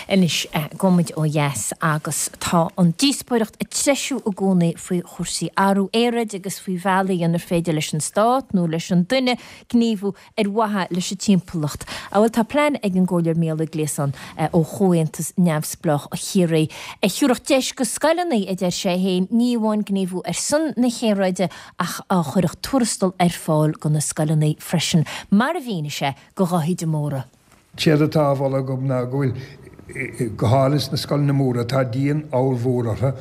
Anois, gabhfaimid ó dheas agus tá an díospóireacht ag treisiú i gcónaí faoi chúrsaí athrú aeráide agus faoi bhealaí inar féidir leis an stát nó leis an duine gníomhú ar mhaithe leis an timpeallacht. Bhuel, tá plean ag an gComhairleoir Mícheál Ó Gliasáin ó Chomhaontas Neamhspleách Chiarraí a thiúrfadh deis go scoileanna, a deir sé féin, ní amháin gníomhú ar son na haeráide ach a chuirfeadh tuarastal ar fáil go na scoileanna freisin, mar a mhínigh sé go Dháithí de Mórdha. Séard atá á mholadh agam ná go bhfuil, go háirithe sna scoileanna móra, tá díon ollmhór orthu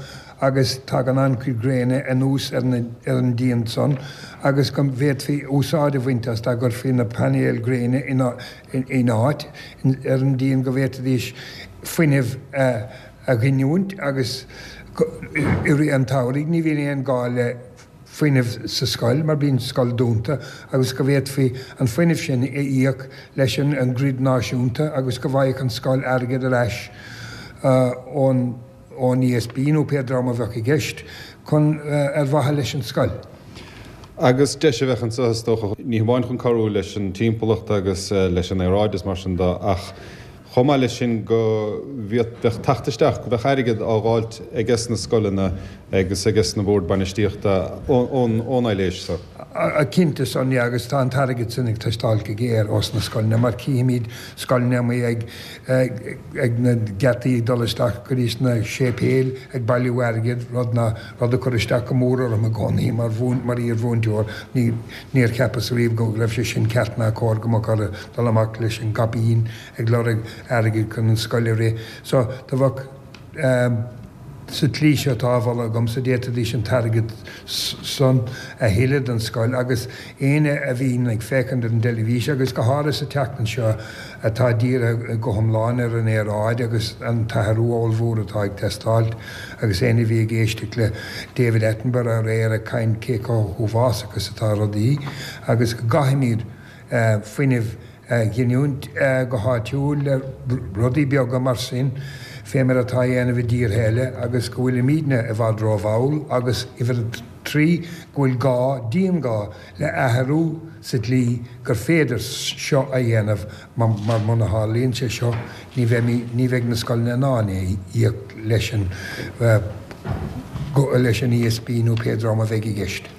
agus tagann an-chuid gréine anuas ar an díon san agus go bhféadfaí úsáid a bhaint as dá gcuirfí na painéil gréine in áit ar an díon go bhféadfaidís fuinneamh a ghiniúint agus i rith an tsamhraidh ní bhíonn aon gá le fuinneamh sa scoil mar bíonn scoil dúnta agus go bhféadfaí an fuinneamh sin a íoc leis an grid náisiúnta agus go bhfaigheadh an scoil airgead ar ais ón ón ESB nó pé dream a bheadh i gceist chun ar mhaithe leis an scoil. Agus deis a bheadh anseo is dócha, ní hamháin chun cabhrú leis an timpeallacht agus leis an aeráid is mar sin de ach Chomh maith leis sin go bheadh teacht isteach, go mbeadh airgead á dháilt aiges na scoileanna agus aiges na boird bainistíochta ón aibhléis so. Cinnte, Sonia, agus tá an t-airgead sin ag teastáil go géar ós na scoileanna mar cífimid scoileanna amuigh ag ag na geataí ag dul isteach go dtí sna séipéil ag bailiú airgid, rud ná rud a chuir isteach go mór orm i gcónaí mar mar iar-mhúinteoir. Ní níor cheapas riamh go raibh sé sin ceart ná cóir go mbeadh orthu dul amach leis an gcaipín ag lorg airgid chun an scoil a rith. So, do bheadh, sa tslí seo atá á mholadh agamsa, d'fhéadfaidís an t-airgead san a thuilleadh don scoil agus éinne a bhíonn ag féachaint ar an dteilifís agus go háirithe sa tseachtain seo atá dírithe go hiomlán ar an aeráid agus an t-athrú ollmhór atá ag teastáilt agus éinne a bhí ag éisteacht le David Attenborough aréir ag caint cé chomh huafásach is atá rudaí agus go gcaithfimid fuinneamh a ghiniúint go háitiúil le rudaí beaga mar sin, fé mar atá á dhéanamh i dtíortha eile agus go bhfuilimídne i bhfad rómhall agus uimhir a 3 go bhfuil gá, dianghá, le athrú sa dlí gur féidir seo a dhéanamh mar muna tharlaíonn sé seo ní bheimid, ní bheidh na scoileanna in ann é a íoc leis an, leis an ESB nó pé dream a bheidh i gceist.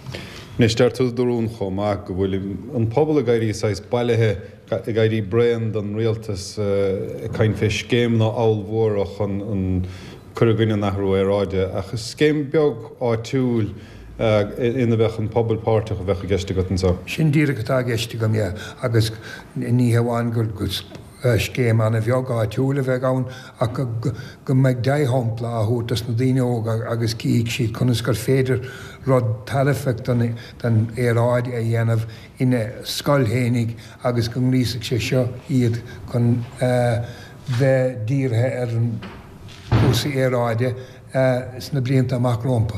Anois, deir tú i do rún chomh maith go bhfuil an pobal ag éirí saghas bailithe, ag éirí bréan den rialtas ag caint fé scéimeanna ollmhóra chun an cur i gcoinne an athrú aeráide, ach is scéim beag áitiúil ina mbeadh an pobal páirteach a bheadh i gceist agat anseo. Sin díreach atá i gceist agam, yeah, agus ní hamháin gur scéim an-bheag áitiúil a bheidh ann ach go mbeidh dea-shampla á thabhairt dos na daoine óga agus cífidh siad conas gur féidir rud tairfeach don aeráid a dhéanamh ina scoil fhéinig agus go ngríosfaidh sé seo iad chun bheith dírithe ar chúrsaí aeráide sna blianta amach rompu.